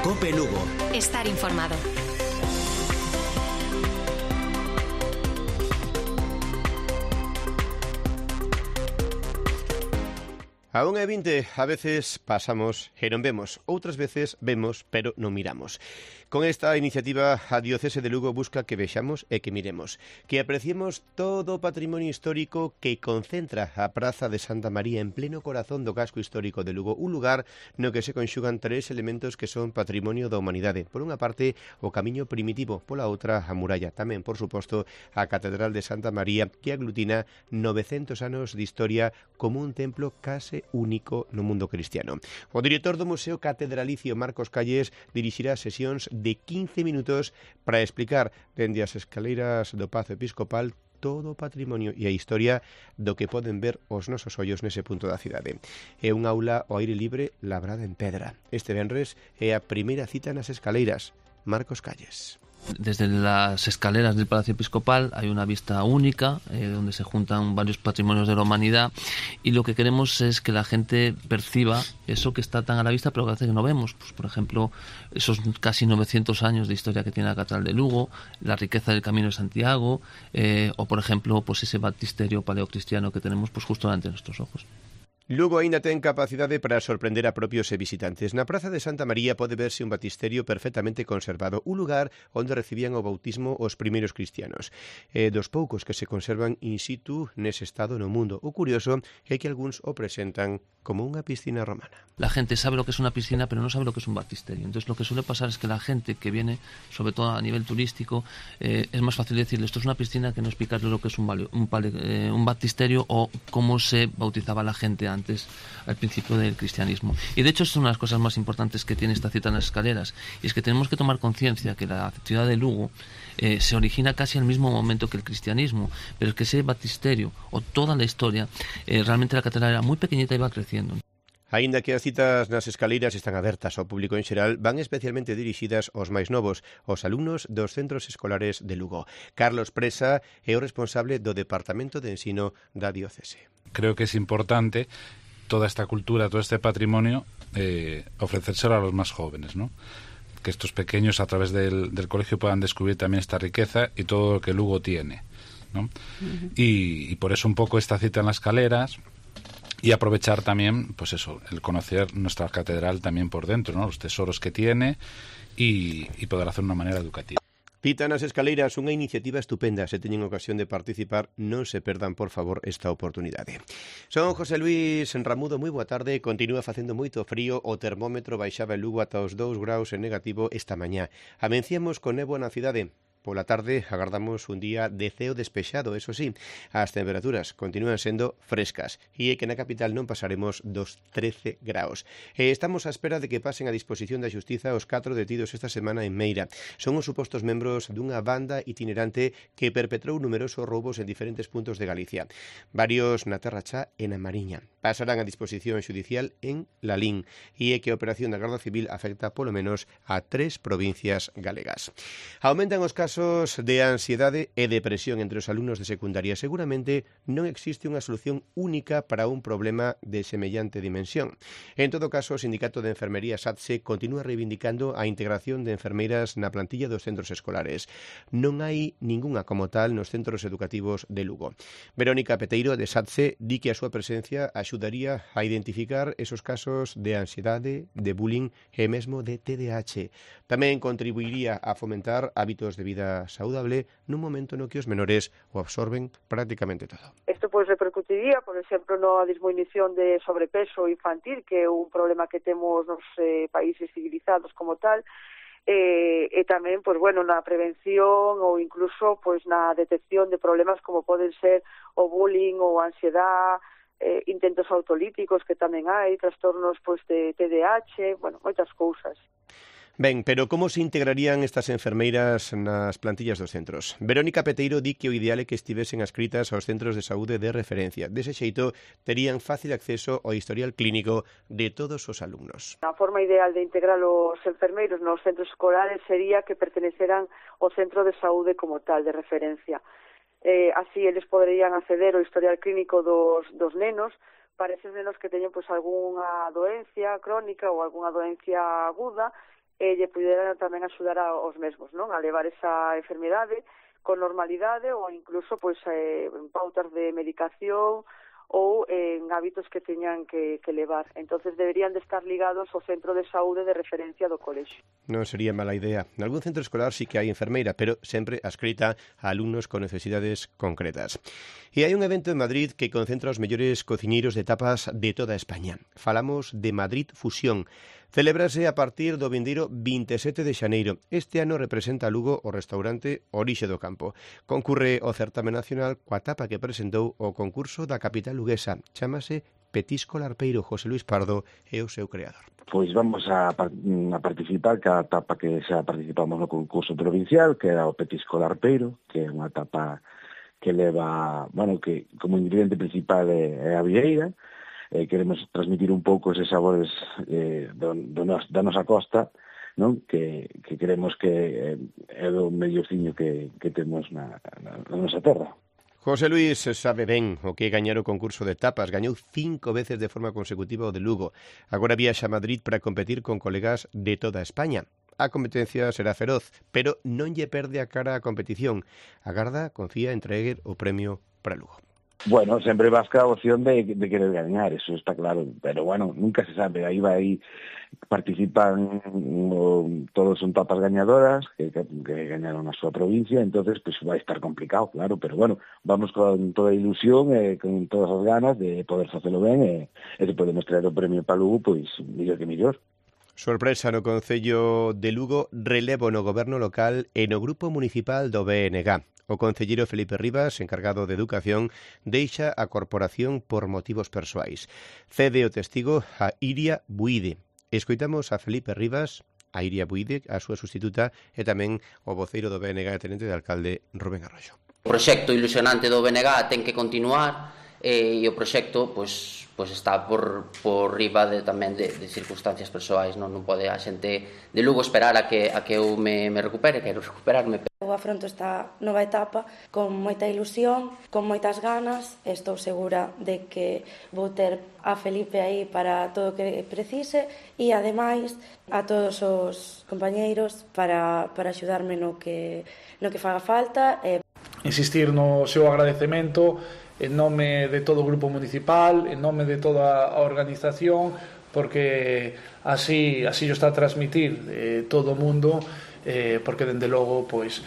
COPE Lugo. Estar informado. A 1:20 a veces pasamos e non vemos, outras veces vemos pero non miramos. Con esta iniciativa a Diocese de Lugo busca que vexamos e que miremos, que apreciemos todo o patrimonio histórico que concentra a Praza de Santa María en pleno corazón do casco histórico de Lugo, un lugar no que se conxugan tres elementos que son patrimonio da humanidade. Por unha parte, o camiño primitivo, pola outra, a muralla. Tamén, por suposto, a Catedral de Santa María, que aglutina 900 anos de historia como un templo case único no mundo cristiano. O director do Museo Catedralicio, Marcos Calles, dirixirá sesións de 15 minutos para explicar dende as escaleiras do Pazo Episcopal todo o patrimonio e a historia do que poden ver os nosos ollos nese punto da cidade. É un aula ao aire libre labrada en pedra. Este venres é a primeira cita nas escaleiras. Marcos Calles. Desde las escaleras del Palacio Episcopal hay una vista única donde se juntan varios patrimonios de la humanidad, y lo que queremos es que la gente perciba eso que está tan a la vista pero que hace que no vemos. Pues, por ejemplo, esos casi 900 años de historia que tiene la Catedral de Lugo, la riqueza del Camino de Santiago, o por ejemplo pues ese baptisterio paleocristiano que tenemos pues justo delante de nuestros ojos. Lugo aínda ten capacidade para sorprender a propios e visitantes. Na Praza de Santa María pode verse un baptisterio perfectamente conservado, un lugar onde recibían o bautismo os primeiros cristianos, dos poucos que se conservan in situ nese estado no mundo. O curioso é que algúns o presentan como unha piscina romana. La gente sabe lo que es una piscina, pero no sabe lo que es un baptisterio. Entonces lo que suele pasar es que la gente que viene, sobre todo a nivel turístico, es más fácil decirle esto es una piscina que no explicarle lo que es un baptisterio o cómo se bautizaba la gente antes, al principio del cristianismo. Y de hecho es una de las cosas más importantes que tiene esta cita en las escaleras, y es que tenemos que tomar conciencia que la ciudad de Lugo se origina casi al mismo momento que el cristianismo, pero es que ese baptisterio o toda la historia, realmente la catedral era muy pequeñita y va creciendo. Aínda que as citas nas escaleiras están abertas ao público en xeral, van especialmente dirixidas aos máis novos, aos alumnos dos centros escolares de Lugo. Carlos Presa é o responsable do Departamento de Ensino da Diocese. Creo que es importante toda esta cultura, todo este patrimonio, ofrecérselo a los más jóvenes, ¿no? Que estos pequeños a través del colegio puedan descubrir también esta riqueza y todo lo que Lugo tiene, ¿no? Y por eso un poco esta cita en las escaleras, y aprovechar también, pues eso, el conocer nuestra catedral también por dentro, ¿no? Los tesoros que tiene y poder hacer de una manera educativa. Cita nas escaleiras, unha iniciativa estupenda. Se teñen ocasión de participar, non se perdan, por favor, esta oportunidade. Son José Luis Ramudo, moi boa tarde. Continúa facendo moito frío, o termómetro baixaba en Lugo ata os 2 graus en negativo esta mañá. Amenciamos con néboa na cidade. Pola tarde agardamos un día de ceo despexado, eso sí, as temperaturas continúan sendo frescas e é que na capital non pasaremos dos 13 graus. Estamos á espera de que pasen a disposición da Xustiza os 4 detidos esta semana en Meira. Son os supostos membros dunha banda itinerante que perpetrou numerosos roubos en diferentes puntos de Galicia. Varios na Terra Chá e na Mariña. Pasarán a disposición xudicial en Lalín e é que a operación da Garda Civil afecta polo menos a 3 provincias galegas. Aumentan os casos de ansiedade e depresión entre os alumnos de secundaria. Seguramente non existe unha solución única para un problema de semellante dimensión. En todo caso, o Sindicato de Enfermería SATSE continúa reivindicando a integración de enfermeiras na plantilla dos centros escolares. Non hai ningunha como tal nos centros educativos de Lugo. Verónica Peteiro, de SATSE, di que a súa presencia axudaría a identificar esos casos de ansiedade, de bullying e mesmo de TDAH. Tamén contribuiría a fomentar hábitos de vida saudable nun momento no que os menores o absorben prácticamente todo. Isto pois repercutiría, por exemplo, na disminución de sobrepeso infantil, que é un problema que temos nos países civilizados como tal, e tamén, pois bueno, na prevención ou incluso pois na detección de problemas como poden ser o bullying ou a ansiedade, intentos autolíticos que tamén hai, trastornos pois de TDAH, bueno, moitas cousas. Ben, pero como se integrarían estas enfermeiras nas plantillas dos centros? Verónica Peteiro di que o ideal é que estivesen adscritas aos centros de saúde de referencia. Dese xeito, terían fácil acceso ao historial clínico de todos os alumnos. A forma ideal de integrar os enfermeiros nos centros escolares sería que perteneceran ao centro de saúde como tal, de referencia. Así, eles poderían acceder ao historial clínico dos nenos, para eses nenos que teñen pois algunha doencia crónica ou algunha doencia aguda, lle puderan tamén axudar aos mesmos, non? A levar esa enfermidade con normalidade ou incluso pois en pautas de medicación ou en hábitos que teñan que levar. Entonces deberían de estar ligados ao centro de saúde de referencia do colexio. Non sería mala idea. En algún centro escolar sí que hai enfermeira, pero sempre adscrita a alumnos con necesidades concretas. E hai un evento en Madrid que concentra os mellores cociñeiros de tapas de toda España. Falamos de Madrid Fusión. Celébrase a partir do vindeiro 27 de xaneiro. Este ano representa a Lugo o restaurante Orixe do Campo. Concurre o certame nacional coa tapa que presentou o concurso da capital luguesa. Chámase Petisco Larpeiro. José Luis Pardo é o seu creador. Pois vamos a participar cada tapa que xa participamos no concurso provincial, que era o Petisco Larpeiro, que é unha tapa que leva, bueno, que como ingrediente principal é a vieira. Queremos transmitir un pouco eses sabores da nosa costa, non? Que queremos que é o mellorciño que temos na nosa terra. José Luis sabe ben o que é gañar o concurso de tapas. Gañou 5 veces de forma consecutiva o de Lugo. Agora viaxa a Madrid para competir con colegas de toda España. A competencia será feroz, pero non lle perde a cara a competición. Agarda, confía en traer o premio para Lugo. Bueno, sempre vas ca opción de querer gañar, eso está claro, pero bueno, nunca se sabe, aí participan, todos son tapas gañadoras que gañaron a súa provincia, entonces pues vai estar complicado, claro, pero bueno, vamos con toda a ilusión e con todas as ganas de poder facelo ben e se podemos traer o premio para Lugo, pois mellor que mellor. Sorpresa no Concello de Lugo, relevo no goberno local e no grupo municipal do BNG. O concelleiro Felipe Rivas, encargado de Educación, deixa a corporación por motivos persoais. Cede o testigo a Iria Buide. Escoitamos a Felipe Rivas, a Iria Buide, a súa sustituta, e tamén o voceiro do BNG, tenente de alcalde Rubén Arroyo. O proxecto ilusionante do BNG ten que continuar e o proxecto pois está por riba tamén de circunstancias persoais, non pode a xente de Lugo esperar a que eu me recupere, quero recuperarme. Eu afronto esta nova etapa con moita ilusión, con moitas ganas, estou segura de que vou ter a Felipe aí para todo o que precise e, ademais, a todos os compañeiros para axudarme no que faga falta. Insistir no seu agradecemento en nome de todo o grupo municipal, en nome de toda a organización, porque así o está a transmitir todo o mundo, porque dende logo pois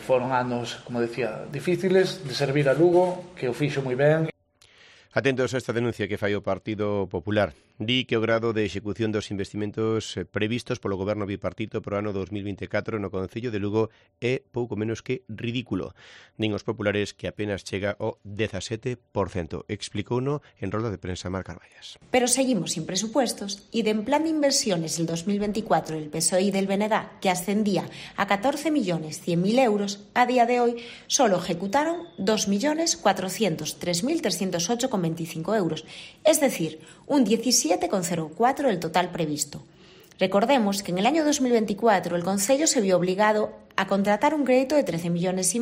foron anos, como decía, difíciles de servir a Lugo, que o fixo moi ben. Atentos a esta denuncia que fai o Partido Popular. Di que o grado de execución dos investimentos previstos polo goberno bipartito pro ano 2024 no Concello de Lugo é pouco menos que ridículo. Din os populares que apenas chega ao 17%. Explicouno en rolda de prensa Mar Carballas. Pero seguimos sin presupuestos y del plan de inversiones del 2024 del PSOE y del BNG, que ascendía a 14.100.000 euros, a día de hoy solo ejecutaron 2.403.308,25 euros, es decir, un 17,04% del total previsto. Recordemos que en el año 2024 el Concello se vio obligado a contratar un crédito de 13,5 millones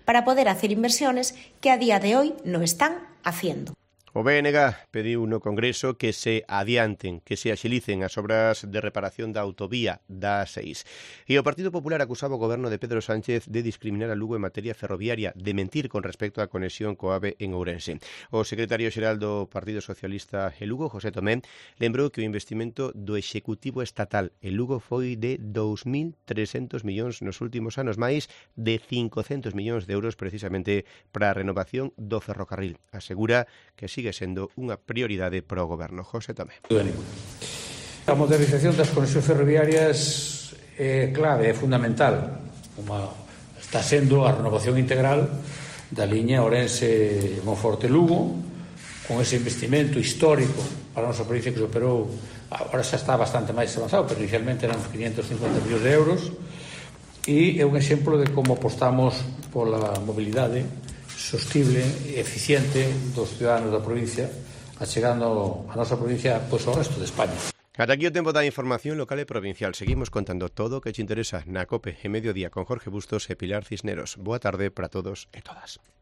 para poder hacer inversiones que a día de hoy no están haciendo. O BNG pediu no Congreso que se adianten, que se axilicen as obras de reparación da autovía da A6. E o Partido Popular acusaba o goberno de Pedro Sánchez de discriminar a Lugo en materia ferroviaria, de mentir con respecto á conexión co AVE en Ourense. O secretario xeral do Partido Socialista en Lugo, José Tomé, lembrou que o investimento do Executivo Estatal en Lugo foi de 2.300 millóns nos últimos anos, máis de 500 millóns de euros precisamente para a renovación do ferrocarril. Asegura que sigue sendo unha prioridade para o goberno. José Tomé. A modernización das conexións ferroviarias é clave, é fundamental. Está sendo a renovación integral da liña Ourense-Monforte-Lugo, con ese investimento histórico para a nosa provincia que se operou, agora xa está bastante máis avanzado, pero inicialmente eran uns 550 millóns de euros, e é un exemplo de como apostamos pola mobilidade sostible e eficiente dos ciudadanos da provincia, achegando a nosa provincia pois ao resto de España. Ata aquí o tempo da información local e provincial. Seguimos contando todo o que te interesa na COPE en Mediodía con Jorge Bustos e Pilar Cisneros. Boa tarde para todos e todas.